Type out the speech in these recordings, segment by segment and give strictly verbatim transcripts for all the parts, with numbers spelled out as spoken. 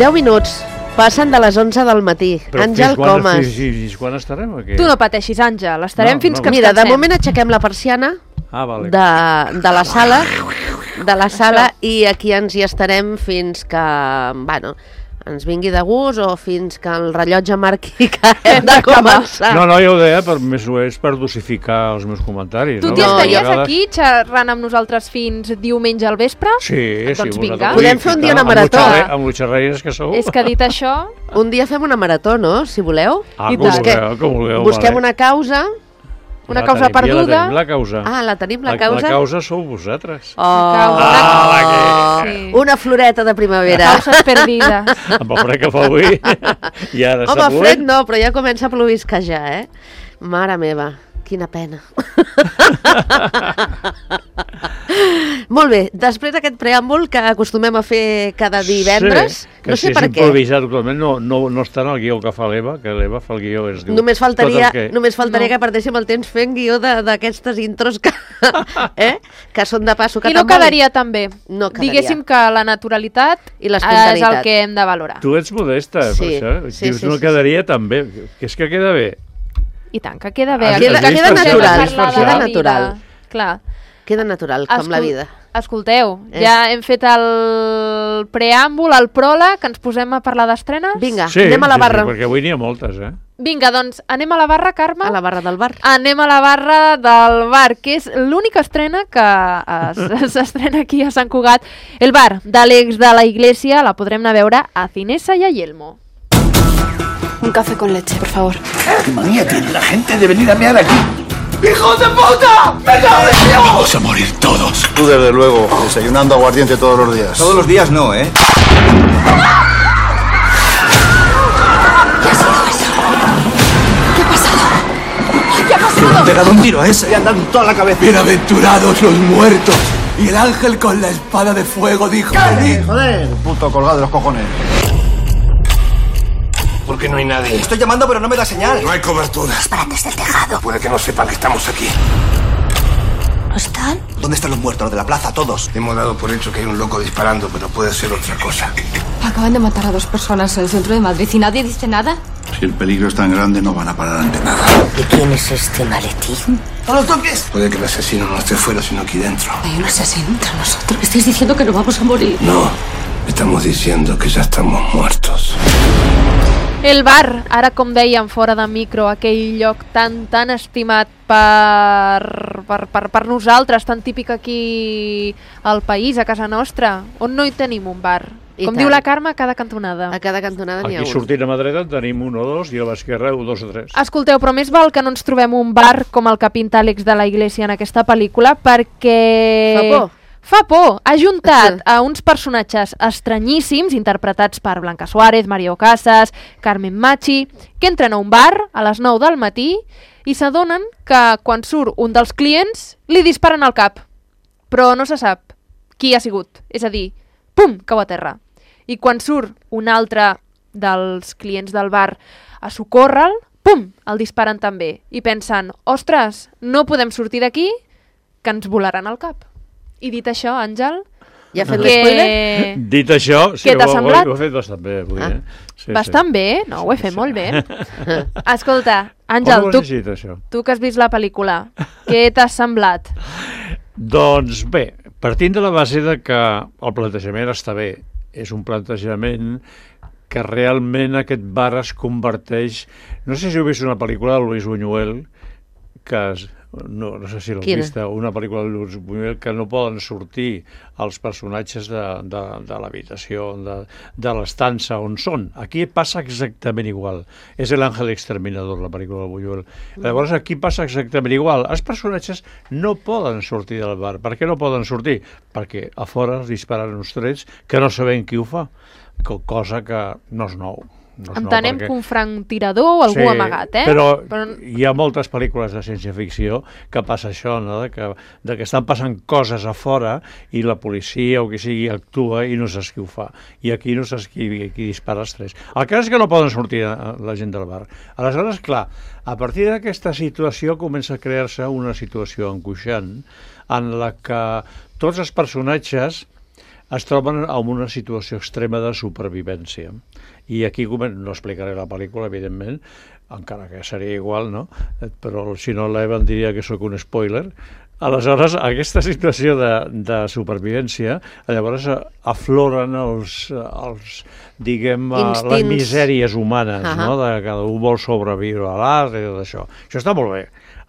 deu minuts. Passen de les onze del matí. Però Àngel quan, Comas. Fins, fins quan estarem aquí? Tu no pateixis, Àngel. Estarem No, fins no. que ens Mira, de cansem. moment aixequem la persiana Ah, vale. de, de la sala de la sala i aquí ens hi estarem fins que, bueno, ens vingui de gust o fins que el rellotge marqui que hem de començar. No, no, ja ho deia, per, més o és per dosificar els meus comentaris. Tu no? t'hi No, estaries A vegades- aquí xerrant amb nosaltres fins diumenge al vespre? Sí, Doncs sí. vinga. vosaltres Podem vull fer un ficar dia una amb marató. l'utxarre- Amb l'utxarreires que sou. És que dit això... Un dia fem una marató, no?, si voleu. Ah, I com tant. vulgueu, com vulgueu. Busquem vale. una causa. una La causa tenim, ja perduda. La tenim, la causa. Ah, la tenim, la La, causa? la causa sou vosaltres. Oh, causa. Ah, Sí. una floreta de primavera. Causes perdides. Amb el fred que fa avui. I ara està Home, fred plovent. no, però ja comença a plovisquejar, eh? Mare meva, quina pena. Molt bé, després d'aquest preàmbul que acostumem a fer cada divendres, Sí, que no si sé és per què. improvisat totalment, no, no, no està en el guió que fa l'Eva, que l'Eva fa el guió. Es diu, Només faltaria, tot el que... només faltaria No. que perdéssim el temps fent guió de- d'aquestes intros que, eh? que són de passo. Que I no tan bonic. quedaria tan bé. No quedaria. Diguéssim que la naturalitat I és l'espontanitat. el que hem de valorar. Tu ets modesta, Sí, per això. sí, Dius, sí, no sí, quedaria tan bé. Que és que queda bé. I tant, que queda bé. Has- Aquí Queda, has vist queda per això? natural, Has vist per queda això? natural. Clar. Queda natural, com la Escol- vida. Escolteu, Eh. ja hem fet el preàmbul, el pròleg, que ens posem a parlar d'estrenes? Vinga, Sí, anem a la sí, barra. Sí, perquè avui n'hi ha moltes, eh? Vinga, doncs anem a la barra, Carme? A la barra del bar. Anem a la barra del bar, que és l'única estrena que es- s'estrena aquí a Sant Cugat. El bar de l'ex de la Iglesia la podrem anar a veure a Cinesa y a Yelmo. Un café con leche, por favor. ¿Qué manía tiene la gente de venir a mear aquí? ¡Hijos de puta! ¡Venga, vamos a morir todos! Tú, desde luego, desayunando aguardiente todos los días. Todos los días no, ¿eh? Le han pegado un tiro a ese. Le han dado en toda la cabeza. Bienaventurados los muertos. Y el ángel con la espada de fuego dijo... "Venid". Joder, puto colgado de los cojones. ¿Por qué no hay nadie? Estoy llamando pero no me da señal. No hay cobertura. Para desde el tejado. Puede que no sepan que estamos aquí. ¿No están? ¿Dónde están los muertos? Los de la plaza, todos. Hemos dado por hecho que hay un loco disparando, pero puede ser otra cosa. Acaban de matar a dos personas en el centro de Madrid y nadie dice nada. Si el peligro es tan grande, no van a parar ante nada. ¿Y quién es este maletín? ¡A los toques! Puede que el asesino no esté fuera, sino aquí dentro. Hay un asesino entre nosotros. Estáis diciendo que no vamos a morir. No, estamos diciendo que ya estamos muertos. El bar, ara com dèiem fora de micro, aquell lloc tan tan estimat per, per, per, per nosaltres, tan típic aquí al país, a casa nostra, on no hi tenim un bar. I Com tant. diu la Carme, a cada cantonada. A cada cantonada n'hi ha Aquí un. sortint a mà dreta en tenim un o dos i a l'esquerra un, dos o tres. Escolteu, però més val que no ens trobem un bar com el que pinta Àlex de la Iglesia en aquesta pel·lícula, perquè... Fa por. Fa por. Ha juntat a uns personatges estranyíssims, interpretats per Blanca Suárez, Mario Casas, Carmen Machi, que entren a un bar a les nou del matí i s'adonen que quan surt un dels clients li disparen al cap. Però no se sap qui ha sigut. És a dir, pum, cau a terra. I quan surt un altre dels clients del bar a socórrer-lo, pum, el disparen també. I pensen, ostres, no podem sortir d'aquí, que ens volaran al cap. I dit això, Àngel, Ja ha fet l'espoiler? que... Dit això, sí, Què t'ha ho, ho, semblat? ho he fet bastant bé avui, Ah. eh? Sí, Bastant bé, no, ho he fet molt bé. Escolta, Àngel, Com ho tu, has llegit, això? tu que has vist la pel·lícula, què t'ha semblat? Doncs bé, partint de la base de que el plantejament està bé, és un plantejament que realment aquest bar es converteix... No sé si heu vist una pel·lícula de Luis Buñuel, que es, no, no sé si l'heu Quina? vista, una pel·lícula de Luis Buñuel que no poden sortir els personatges de, de, de l'habitació, de, de l'estança on són. Aquí passa exactament igual. És El Ángel Exterminador, la pel·lícula de Buñuel. Llavors aquí passa exactament igual. Els personatges no poden sortir del bar. Per què no poden sortir? Perquè a fora els disparen uns trets que no sabem qui ho fa, cosa que no és nou. No és Entenem nou, perquè... que un franctirador o algú Sí, amagat, eh? Però, però hi ha moltes pel·lícules de ciència-ficció que passa això, no? de, que, de que estan passant coses a fora i la policia o qui sigui actua i no saps qui ho fa. I aquí no saps qui, qui dispara els tres. El cas és que no poden sortir a, la gent del bar. Aleshores, clar, a partir d'aquesta situació comença a crear-se una situació angoixant en la que tots els personatges es troben en una situació extrema de supervivència. I aquí no explicaré la pel·lícula, evidentment, encara que seria igual, no? Però si no l'Evan diria que sóc un spoiler. Aleshores, aquesta situació de, de supervivència, llavors afloren els, els diguem, Instints. les misèries humanes, uh-huh. no? De cada un vol sobreviure a l'art i tot això. Això està molt bé.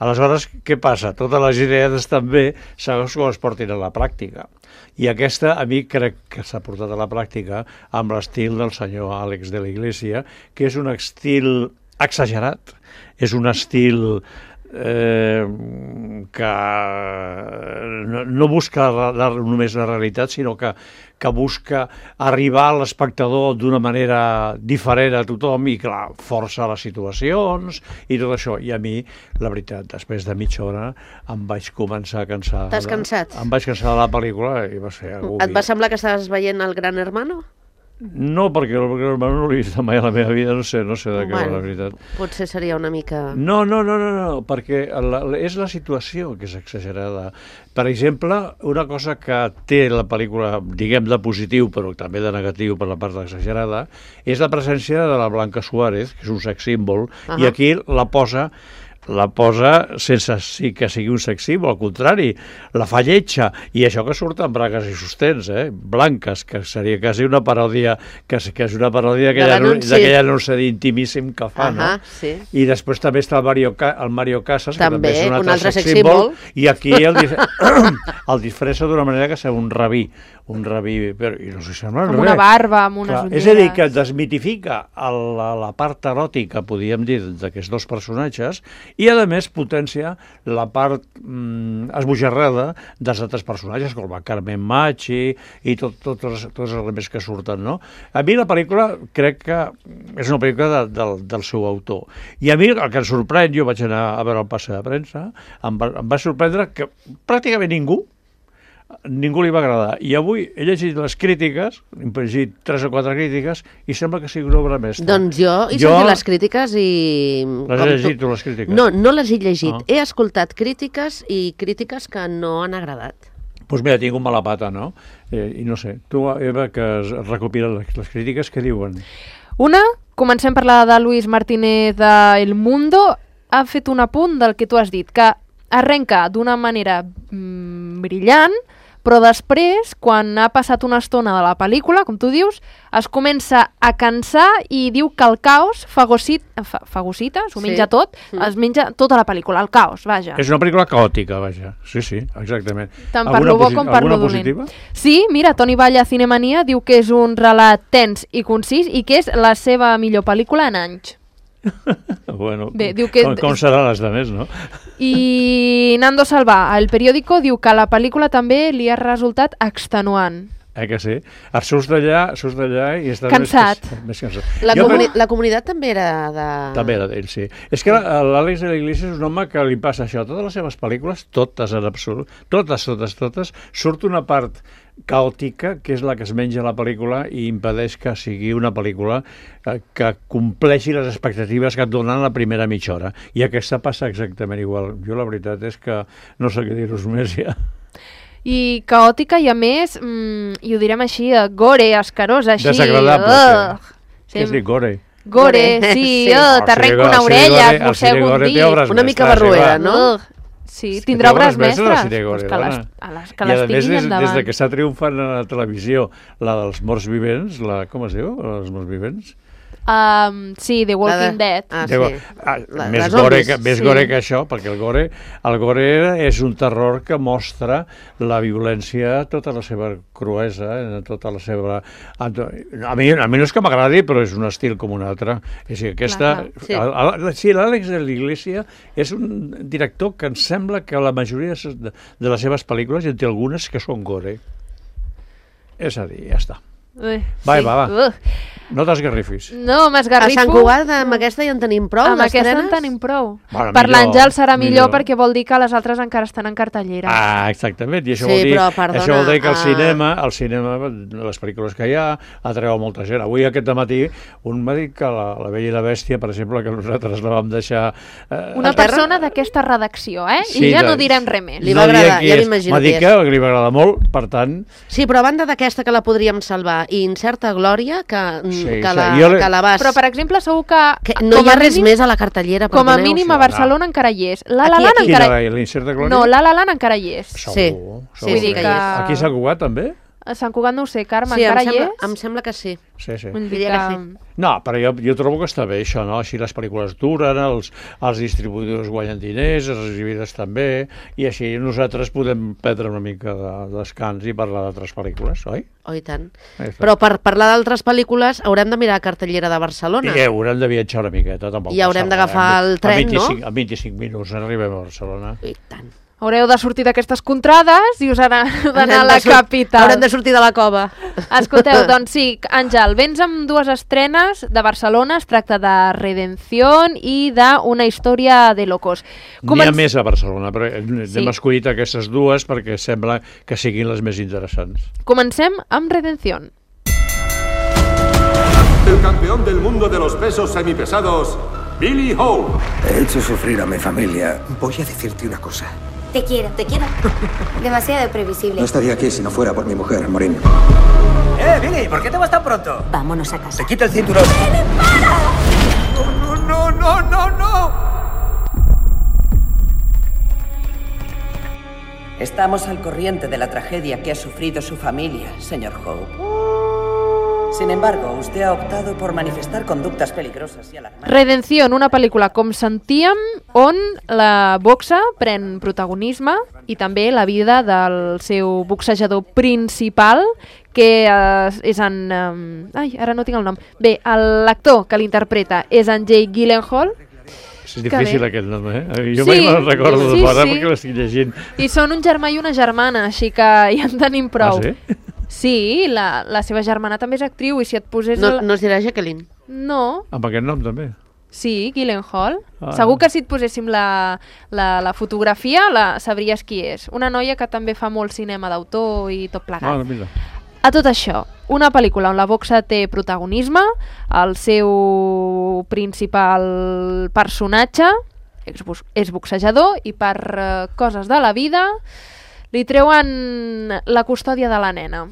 Aleshores, què passa? Totes les idees estan bé segons com es portin a la pràctica. I aquesta, a mi, crec que s'ha portat a la pràctica amb l'estil del senyor Àlex de la Iglesia, que és un estil exagerat, és un estil eh, que no, no busca la, la, només la realitat, sinó que, que busca arribar a l'espectador d'una manera diferent a tothom i, clar, força les situacions i tot això. I a mi, la veritat, després de mitja hora em vaig començar a cansar. T'has cansat? Em vaig cansar de la pel·lícula i va ser agobi. Et va semblar que estaves veient el Gran Hermano? No, perquè el Gran Hermano no l'he vist mai a la meva vida, no sé, no sé de què va, la veritat. Potser seria una mica... No, no, no, no, no perquè la, és la situació que és exagerada. Per exemple, una cosa que té la pel·lícula, diguem, de positiu, però també de negatiu per la part exagerada, és la presència de la Blanca Suárez, que és un sex símbol, uh-huh. i aquí la posa... la posa sense sí que sigui un sex símbol, al contrari, la fa lletja, i això que surt amb bragues i sostens, eh? Blanques, que seria quasi una paròdia, que, que és una paròdia d'aquell anunci intimíssim que fa, uh-huh, no? Sí. I després també està el Mario, el Mario Casas, també, que també és un altre, un altre sex sex símbol, símbol, i aquí el, el disfressa d'una manera que sembla un rabí, un rabí, però i no s'hi sembla res. Amb una barba, amb unes Clar, ulleres. és a dir, que desmitifica el, la, la part eròtica, podríem dir, d'aquests dos personatges, i a més potència la part mm, esbojarrada dels altres personatges, com la Carmen Machi i tot, tot, tots, tots els elements que surten, no? A mi la pel·lícula crec que és una pel·lícula de, del, del seu autor. I a mi el que em sorprèn, jo vaig anar a veure el passe de premsa, em va, em va sorprendre que pràcticament ningú ningú li va agradar. I avui he llegit les crítiques, he llegit tres o quatre crítiques, i sembla que sigui una obra mestra. Doncs jo he jo... sentit les crítiques i... Les he llegit tu, les crítiques? No, no les he llegit. Ah. He escoltat crítiques i crítiques que no han agradat. Doncs pues mira, tinc un mala pata, no? Eh, I no sé, tu, Eva, que recopila les, les crítiques, què diuen? Una, comencem per la de Luis Martínez de El Mundo, ha fet un apunt del que tu has dit, que arrenca d'una manera mm, brillant, però després, quan ha passat una estona de la pel·lícula, com tu dius, es comença a cansar i diu que el caos fagocita, fa, fagocita s'ho menja sí. tot, mm. es menja tota la pel·lícula, el caos, vaja. És una pel·lícula caòtica, vaja. Sí, sí, exactament. Tant per lo bo com per lo dolent. Sí, mira, Toni Valla, Cinemania, diu que és un relat tens i concís i que és la seva millor pel·lícula en anys. Bueno, Bé, diu que... com, com seran les demés, no? I Nando Salvà, el periòdico, diu que la pel·lícula també li ha resultat extenuant. Eh que sí? Et surts d'allà, surts d'allà i estàs cansat. Més, més cansat. La, comuni la comunitat també era de... També era d'ell, sí. És que l'Àlex de la Iglesia és un home que li passa això. Totes les seves pel·lícules, totes en absolut, totes, totes, totes, surt una part caòtica, que és la que es menja la pel·lícula i impedeix que sigui una pel·lícula que compleixi les expectatives que et donen la primera mitja hora. I aquesta passa exactament igual. Jo la veritat és que no sé què dir-vos més ja. I caòtica i a més, mmm, i ho direm així, gore, escarosa, així... Desagradable, uh, sí. Què has dit, gore? Gore, sí, sí. Uh, t'arrenco una orella, et mossego un dit. Una mica barruera, no? Sí, tindrà obres mestres. Pues que les, a les, que les tinguin endavant. Des de que s'ha triomfat a la televisió, la dels morts vivents, la, com es diu, la dels morts vivents? Um, sí, The Walking de... Dead. Ah, sí. ah, la, més gore, que, més sí. gore que això, perquè el gore, el gore és un terror que mostra la violència, tota la seva cruesa, tota la seva... A mi, a mi no és que m'agradi, però és un estil com un altre. És a dir, aquesta... Clar, clar. Sí, l'Àlex de la Iglesia és un director que em sembla que la majoria de, de les seves pel·lícules, en té algunes que són gore. És a dir, ja està. Ui, Va, sí. va, va. Uh. No t'esgarrifis. No, A m'esgarrifo. Sant Cugat, amb aquesta ja en tenim prou, Amb aquesta en d'estrenes? tenim prou. Bueno, Per millor, l'Àngel serà millor, millor. perquè vol dir que les altres encara estan en cartellera. Ah, exactament. I això, Sí, vol dir, però, perdona, això vol dir que el ah. cinema, el cinema, les pel·lícules que hi ha, atreu molta gent. Avui, aquest matí, un m'ha dit que la, la Bella i la Bèstia, per exemple, que nosaltres la vam deixar... Eh, Una Al terra? persona d'aquesta redacció, eh? Sí, I ja de- no direm res més. Li va no diré agradar, qui ja és. m'imagino M'ha dit qui que li va agradar molt, per tant... Sí, però a banda d'aquesta que la podríem salvar i Incerta Glòria, que, Sí, que, sí, la, jo li- que la vas... Però, per exemple, segur que... que no com hi ha a res mínim- més a la cartellera, Com a perdoneu. mínim sí, a Barcelona encara hi és. La La Aquí, Land aquí. encara... Quina, la Incerta Glòria? No, La La Land encara hi és. Segur, Sí. segur Sí, Vull sí dir que que... hi és. Aquí s'ha Cugat, també? A Sant Cugat no ho sé, Carme, Sí, em encara hi sembla, és? em sembla que sí. Sí, sí. Vull dir Diria que que... No, però jo, jo trobo que està bé això, no? Així les pel·lícules duren, els, els distribuïdors guanyen diners, els exhibidors també, i així nosaltres podem prendre una mica de descans i parlar d'altres pel·lícules, oi? Oh, i tant. Ahí està. Però per parlar d'altres pel·lícules haurem de mirar cartellera de Barcelona. I haurem de viatjar una miqueta, tampoc. I haurem passa d'agafar res. el tren, en vint-i-cinc, no? En vint-i-cinc minuts arribem a Barcelona. I tant. Haureu de sortir d'aquestes contrades i us haurà d'anar a Haurem la de sur- capital. Haurem de sortir de la cova. Escolteu, doncs sí, Àngel, vens amb dues estrenes de Barcelona, es tracta de Redención i d'Una història de locos. N'hi ha Començ- més a Barcelona, però hem Sí. escollit aquestes dues perquè sembla que siguin les més interessants. Comencem amb Redención. El campeón del mundo de los pesos semipesados, Billy Ho. He hecho sufrir a mi familia. Voy a decirte una cosa. Te quiero, te quiero. Demasiado previsible. No estaría aquí si no fuera por mi mujer, Maureen. ¡Eh, Billy! ¿Por qué te vas tan pronto? Vámonos a casa. ¡Se quita el cinturón! ¡No, no, no, no, no! Estamos al corriente de la tragedia que ha sufrido su familia, señor Hope. Sin embargo, usted ha optado por manifestar conductas peligrosas y alarmantes. Redención, una pel·lícula, com sentíem, on la boxa pren protagonisme i també la vida del seu boxejador principal, que eh, és en... Eh, ai, ara no tinc el nom. Bé, l'actor que l'interpreta és en Jake Gyllenhaal. És difícil bé. aquest nom, eh? Jo Sí, mai me'l recordo sí, de parar sí. perquè l'estic llegint. I són un germà i una germana, així que ja en tenim prou. Ah, sí? Sí, la, la seva germana també és actriu, i si et posés... No, la- no es dirà Jacqueline. No, Amb aquest nom també. sí, Gyllenhaal. Ah. Segur que si et poséssim la, la, la fotografia la sabries qui és. Una noia que també fa molt cinema d'autor i tot plegat. Ah, mira. A tot això, una pel·lícula on la boxa té protagonisme, el seu principal personatge és, bus- és boxejador i per eh, coses de la vida li treuen la custòdia de la nena.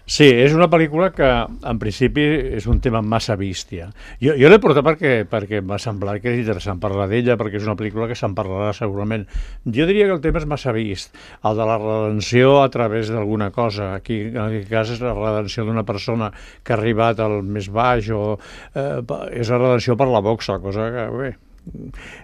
Sí, és una pel·lícula que en principi és un tema massa vist ja. Jo, jo l'he portat perquè, perquè m'ha semblat que és interessant parlar d'ella, perquè és una pel·lícula que se'n parlarà segurament. Jo diria que el tema és massa vist, el de la redenció a través d'alguna cosa. Aquí, en aquest cas, és la redenció d'una persona que ha arribat al més baix, o eh, és la redenció per la boxa, cosa que, bé,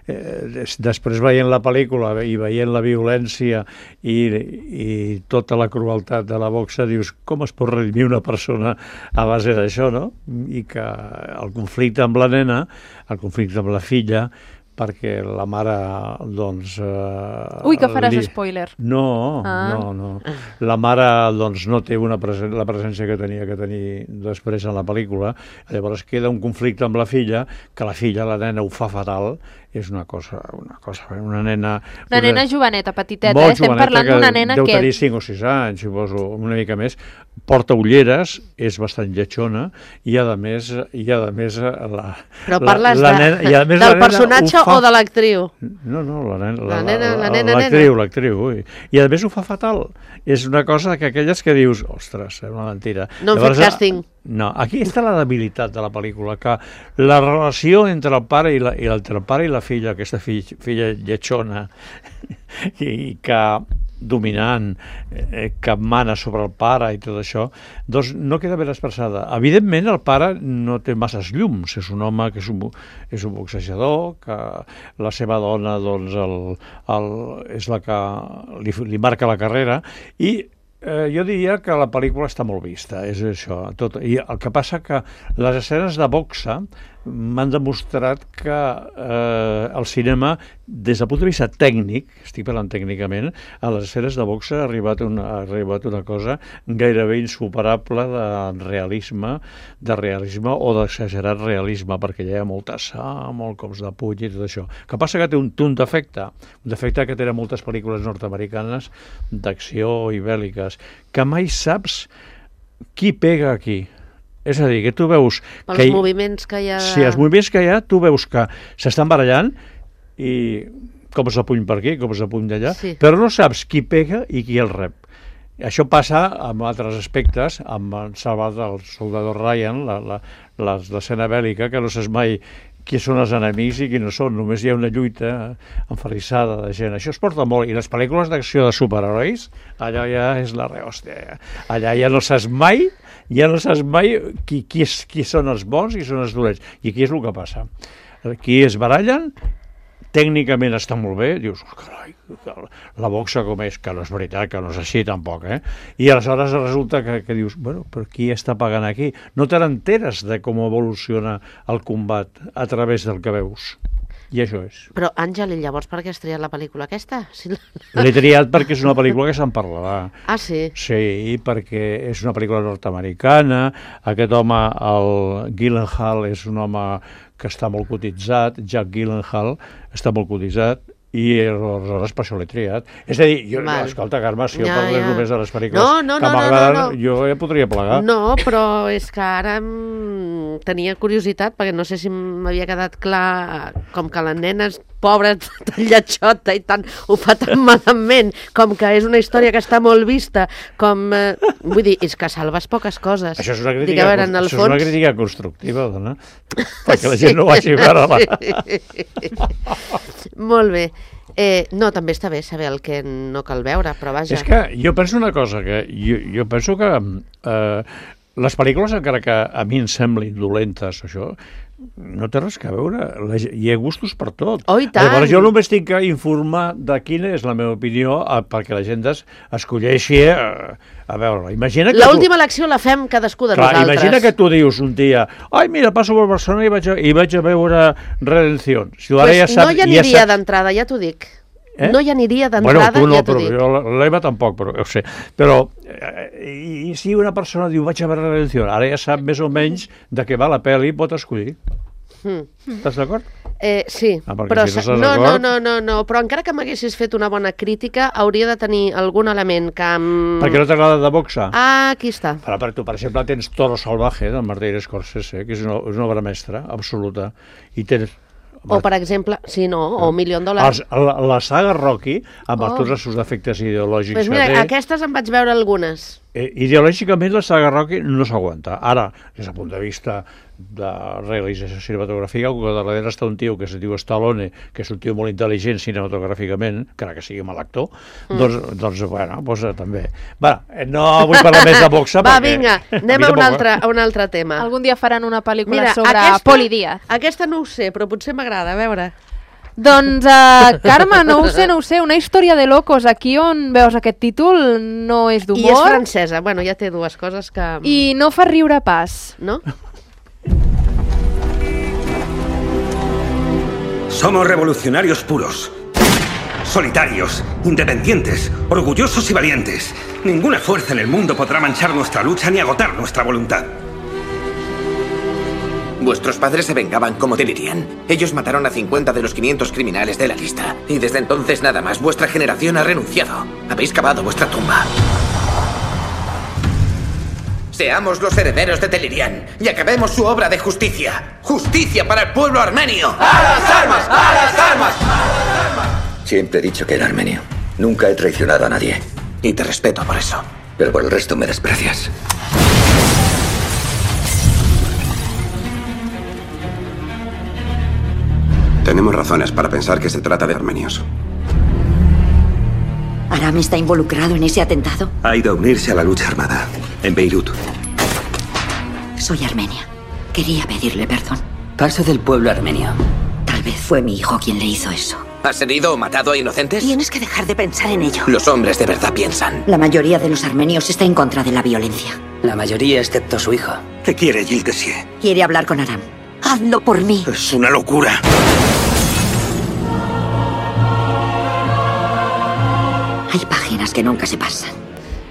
Eh, des, després veient la pel·lícula i veient la violència i, i tota la crueltat de la boxa, dius, com es pot redimir una persona a base d'això, no? I que el conflicte amb la nena, el conflicte amb la filla, perquè la mare, doncs... Eh, Ui, que faràs li... spoiler. No, Ah. no, no. La mare, doncs, no té una presen... la presència que tenia que tenir després en la pel·lícula. Llavors queda un conflicte amb la filla, que la filla, la nena, ho fa fatal. És una cosa, una cosa, una nena... Una nena joveneta, petiteta, molt eh? Estem joveneta, parlant que d'una nena deu que... tenir cinc o sis anys, suposo, una mica més, porta ulleres, és bastant lletjona, i a més, i a més la, Però la, parles la de, nena, i a més del la nena personatge ho fa... o de l'actriu? No, no, la nena, La nena, la nena, l'actriu, nena. l'actriu, ui. I a més ho fa fatal. És una cosa que aquelles que dius, ostres, és una mentira. No han fet càsting. No, aquí està la debilitat de la pel·lícula, que la relació entre el pare i la, i entre el pare i la filla, aquesta filla, filla lletjona, i, i que dominant, eh, que mana sobre el pare i tot això, doncs no queda ben expressada. Evidentment, el pare no té masses llums, és un home que és un, és un boxejador, que la seva dona doncs, el, el, és la que li, li marca la carrera, i eh, jo diria que la pel·lícula està molt vista, és això. Tot. I el que passa que les escenes de boxa m'han demostrat que eh, el cinema, des del punt de vista tècnic, estic parlant tècnicament, a les escenes de boxa ha arribat una, ha arribat una cosa gairebé insuperable de realisme, de realisme o d'exagerat realisme, perquè hi ha molta sang, molt cops de puny i tot això. Que passa que té un, un defecte, un defecte que tenen moltes pel·lícules nord-americanes d'acció i bèl·liques, que mai saps qui pega aquí. És a dir, que tu veus... Pels que hi, moviments que hi ha... Sí, els moviments que hi ha, tu veus que s'estan barallant i cops de puny per aquí, cops de puny d'allà, sí. Però no saps qui pega i qui el rep. Això passa amb altres aspectes, amb el salvat del soldador Ryan, la, la, l'escena bèl·lica, que no saps mai qui són els enemics i qui no són, només hi ha una lluita enferrissada de gent. Això es porta molt, i les pel·lícules d'acció de superherois, allà ja és la rehòstia. Allà ja no saps mai, ja no saps mai qui, qui, és, qui són els bons i qui són els dolents. I aquí és el que passa. Qui es barallen, tècnicament està molt bé, dius, oh, carai, la boxa com és, que no és veritat, que no és així tampoc, eh? I aleshores resulta que, que dius, bueno, però qui està pagant aquí? No te n'enteres de com evoluciona el combat a través del que veus. I això és. Però, Àngel, i llavors per què has triat la pel·lícula aquesta? Si la... L'he triat perquè és una pel·lícula que se'n parlarà. Ah, sí? Sí, perquè és una pel·lícula nord-americana, aquest home, el Gyllenhaal, és un home que està molt cotitzat, Jack Gyllenhaal, està molt cotitzat, i aleshores per això l'he triat. És a dir, jo, no, escolta, Carme, si jo ja, parlés ja. només de les pel·lícules no, no, que no, m'agraden, no, no, no. jo ja podria plegar. No, però és que ara m... tenia curiositat, perquè no sé si m'havia quedat clar, com que les nenes pobres, tan lletjota i tant, ho fa tan malament, com que és una història que està molt vista, com... Eh, vull dir, és que salves poques coses. Això és una crítica, Dic, veure, això fons... és una crítica constructiva, dona, perquè la gent no vagi a veure-la. Molt bé. Eh, no, també està bé saber el que no cal veure, però vaja. És que jo penso una cosa, que jo, jo penso que eh, les pel·lícules, encara que a mi em semblin dolentes, això, no té res a veure, la, hi ha gustos per tot. Oh, i tant! Llavors jo només tinc que informar de quina és la meva opinió a, perquè la gent escolleixi a, a veure-la. Imagina que l'última tu... elecció la fem cadascú de Clar, nosaltres. Imagina que tu dius un dia, ai, mira, passo per Barcelona i vaig a, i vaig a veure Redención. Si pues ja sap, no hi aniria ja d'entrada, ja t'ho dic. Eh? No hi aniria d'entrada, bueno, no, ja t'ho dic. Bueno, tu no, l'Eva tampoc, però ho sé. Però, eh, i, i si una persona diu, vaig a veure Redención, ara ja sap més o menys de què va la pel·li, pot escollir. Mm. Estàs d'acord? Eh, sí, ah, però si no, no, no, no, no, però encara que m'haguessis fet una bona crítica, hauria de tenir algun element que... Amb... Perquè no t'agrada de boxa? Ah, aquí està. Però per tu, per exemple, tens Toro Salvaje, del Martin Scorsese, que és una, és una obra mestra, absoluta, i tens... O, per exemple, sí, no, o Million Dollars. La, la saga Rocky, amb oh. tots els seus defectes ideològics... Pues mira, aquestes en vaig veure algunes. Eh, ideològicament la saga Rocky no s'aguanta. Ara, des del punt de vista de realització cinematogràfica, que darrere està un tio que es diu Stallone, que és un tio molt intel·ligent cinematogràficament, encara que sigui mal actor, mm. doncs, doncs, bueno, doncs també. Va, no vull parlar més de boxa. Va, perquè... vinga, anem a un, altre, a un altre tema. Algun dia faran una pel·lícula Mira, sobre aquesta, Poli Díaz. Aquesta no ho sé, però potser m'agrada, a veure... Doncs, uh, Carme, no ho sé, no ho sé, una història de locos, aquí on veus aquest títol no és d'humor. I és francesa, bueno, ja té dues coses que... I no fa riure pas. No? Somos revolucionarios puros, solitarios, independientes, orgullosos y valientes. Ninguna fuerza en el mundo podrá manchar nuestra lucha ni agotar nuestra voluntad. Vuestros padres se vengaban como Delirian. Ellos mataron a cincuenta de los quinientos criminales de la lista. Y desde entonces nada más. Vuestra generación ha renunciado. Habéis cavado vuestra tumba. Seamos los herederos de Delirian y acabemos su obra de justicia. ¡Justicia para el pueblo armenio! ¡A las armas! ¡A las armas! ¡A las armas! Siempre he dicho que era armenio. Nunca he traicionado a nadie. Y te respeto por eso. Pero por el resto me desprecias. Tenemos razones para pensar que se trata de armenios. ¿Aram está involucrado en ese atentado? Ha ido a unirse a la lucha armada en Beirut. Soy armenia. Quería pedirle perdón. Paso del pueblo armenio. Tal vez fue mi hijo quien le hizo eso. ¿Has herido o matado a inocentes? Tienes que dejar de pensar en ello. Los hombres de verdad piensan. La mayoría de los armenios está en contra de la violencia. La mayoría excepto su hijo. ¿Qué quiere Gilles Tessier? Quiere hablar con Aram. Hazlo por mí. Es una locura. Hay páginas que nunca se pasan.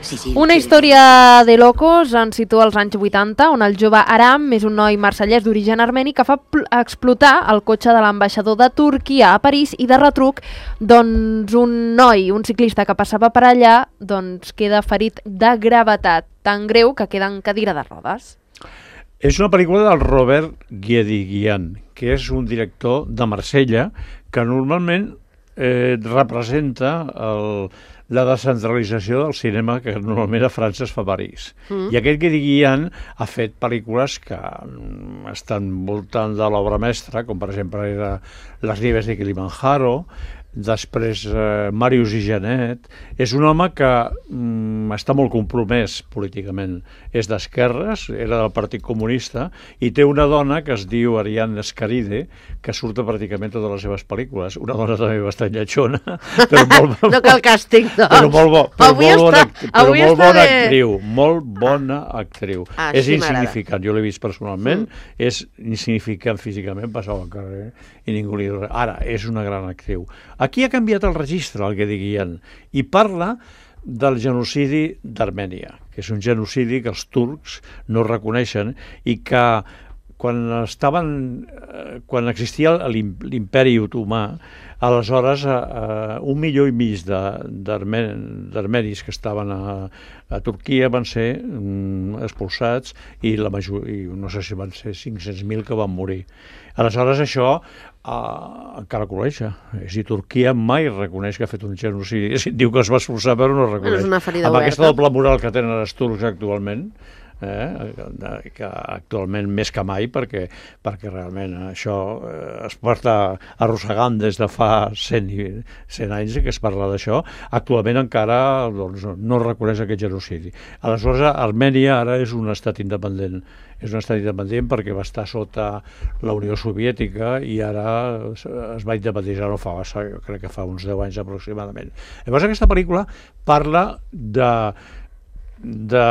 Sí, sí, Una sí. història de locos ens situa als anys vuitanta, on el jove Aram és un noi marsellès d'origen armeni que fa pl- explotar el cotxe de l'ambaixador de Turquia a París i de retruc, doncs un noi, un ciclista que passava per allà, doncs queda ferit de gravetat, tan greu que queda en cadira de rodes. És una pel·lícula del Robert Guédiguian, que és un director de Marsella que normalment eh, representa el, la descentralització del cinema que normalment a França es fa a París. Mm. I aquest Guédiguian ha fet pel·lícules que mm, estan voltant de l'obra mestra, com per exemple era Les nieves de Kilimanjaro, després eh, Màrius i Janet. És un home que mm, està molt compromès políticament. És d'esquerres, era del Partit Comunista, i té una dona que es diu Ariadna Escaride, que surt a pràcticament totes les seves pel·lícules. Una dona també bastant lletjona, però molt, no cal càstig, doncs. Però molt, bo, però avui molt bona, està, però avui molt està bona bé. actriu, molt bona actriu. Ah, és sí, insignificant, jo l'he vist personalment, mm. és insignificant físicament, passava al carrer i ningú li diu res. Ara, és una gran actriu. Aquí ha canviat el registre, el Guédiguian, i parla del genocidi d'Armènia, que és un genocidi que els turcs no reconeixen i que quan estaven, quan existia l'imperi otomà, aleshores eh, un milió i mig d'armenis que estaven a, a Turquia van ser mm, expulsats i, la major, i no sé si van ser cinc-cents mil que van morir. Aleshores això Uh, encara coleja. És a dir, Turquia mai reconeix que ha fet un genocidi. Diu que es va expulsar però no reconeix. És una ferida amb oberta. Aquesta doble moral que tenen els turcs actualment, eh, que actualment més que mai, perquè, perquè realment això eh, es porta arrossegant des de fa cent, cent anys que es parla d'això, actualment encara doncs, no reconeix aquest genocidi. Aleshores, Armènia ara és un estat independent. És un estat independent perquè va estar sota la Unió Soviètica i ara es va independitzar, no fa, jo crec que fa uns deu anys aproximadament. Llavors aquesta pel·lícula parla de, de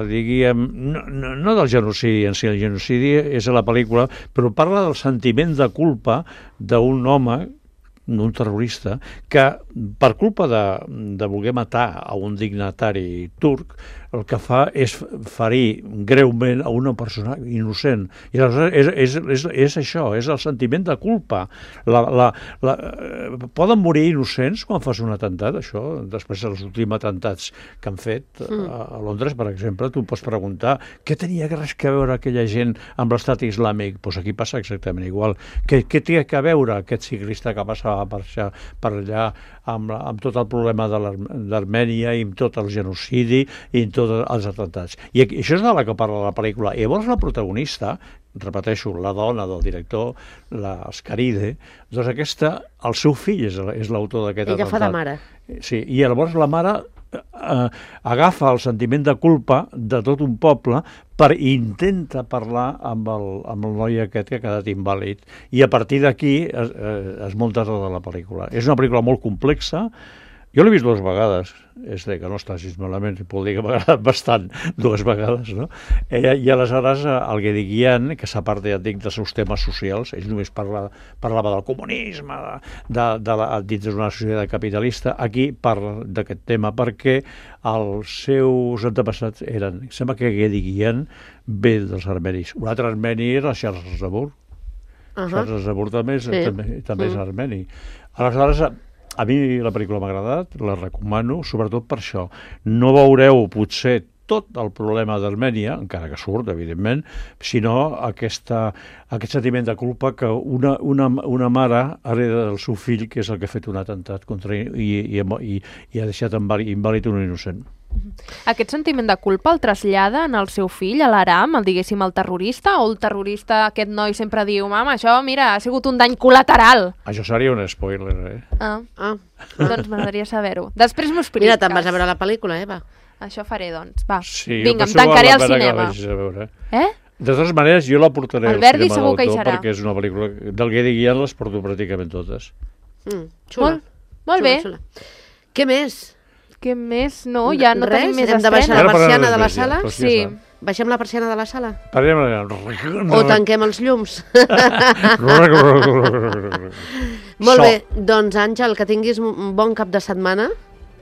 diguem, no, no, no del genocidi en si, el genocidi és a la pel·lícula, però parla del sentiment de culpa d'un home, d'un terrorista, que per culpa de, de voler matar a un dignatari turc, el que fa és ferir greument a una persona innocent. I aleshores és, és, és, és això, és el sentiment de culpa. La, la, la, poden morir innocents quan fas un atemptat, això, després dels últims atemptats que han fet mm. a, a Londres, per exemple, tu pots preguntar què tenia res que veure aquella gent amb l'estat islàmic? Doncs aquí passa exactament igual. Què, què té que veure aquest ciclista que passava per, per allà amb, amb tot el problema de l'Armènia i amb tot el genocidi i amb tots els atemptats? I això és de la que parla la pel·lícula. I llavors la protagonista, repeteixo, la dona del director, la Escaride, doncs aquesta, el seu fill és, és l'autor d'aquest atemptat. Ella fa de mare. Sí, i llavors la mare eh, agafa el sentiment de culpa de tot un poble per intenta parlar amb el, amb el noi aquest que ha quedat invàlid. I a partir d'aquí es, es munta tota la pel·lícula. És una pel·lícula molt complexa. Jo l'he vist dues vegades, és de que no està així malament, puc dir que m'ha agradat bastant dues vegades, no? I, i aleshores el Guédiguian, que s'aparta, ja et dic, dels seus temes socials, ell només parla, parlava del comunisme, de, de, de la, dins d'una societat capitalista, aquí parla d'aquest tema perquè els seus antepassats eren, sembla que Guédiguian ve dels armenis. Un altre armeni era Charles Aznavour. Uh-huh. Charles Aznavour també és, sí. també, també mm. és armeni. Aleshores, a mi la pel·lícula m'ha agradat, la recomano, sobretot per això. No veureu, potser, tot el problema d'Armènia, encara que surt, evidentment, sinó aquesta, aquest sentiment de culpa que una, una, una mare hereda del seu fill, que és el que ha fet un atemptat contra ell i, i, i, i ha deixat invàlid un innocent. Aquest sentiment de culpa el trasllada en el seu fill, a l'Aram, el diguéssim el terrorista, o el terrorista, aquest noi sempre diu, mama, això, mira, ha sigut un dany col·lateral. Això seria un spoiler, eh? Ah, ah. Doncs m'agradaria saber-ho. Després m'ho expliques. Mira, te'n vas a veure la pel·lícula, Eva. Això faré, doncs. Va, sí, vinga, em tancaré al cinema. Eh? De totes maneres, jo la portaré al Verdi cinema d'autor, perquè és una pel·lícula del Guédiguian, les porto pràcticament totes. Mm, xula. Molt, molt bé. Xula, xula. Què més? Què més? No, ja no Res? tenim més Hem de baixar la persiana de la sala? Sí. baixem la persiana de la sala? Parem... O tanquem els llums? Molt bé, doncs Àngel, que tinguis un bon cap de setmana,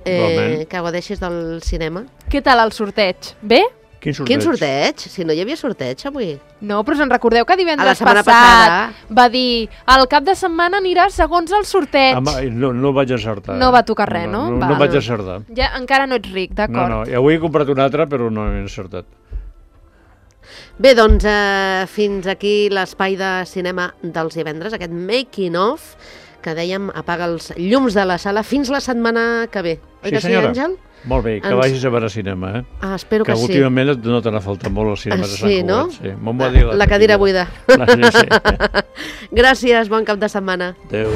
eh, que gaudeixis del cinema. Què tal el sorteig? Bé? Quin sorteig? Quin sorteig? Si no hi havia sorteig avui. No, però se'n recordeu que divendres passat passada. va dir el cap de setmana anirà segons el sorteig. Home, no, no vaig acertar. No va tocar res, no? No, no, no vaig acertar. Ja, encara no ets ric, d'acord. No, no, i avui he comprat un altre, però no he encertat. Bé, doncs eh, fins aquí l'espai de cinema dels divendres, aquest making of, que dèiem apaga els llums de la sala fins la setmana que ve. Sí, senyora. Sí, Àngel? Molt bé, que Ens... vagis a veure cinema, eh? Ah, espero que, que sí. Que últimament no te n'ha faltat molt al cinema ah, de Sant sí, no? Sí, no? La, la cadira buida. Sí, sí. Gràcies, bon cap de setmana. Adéu.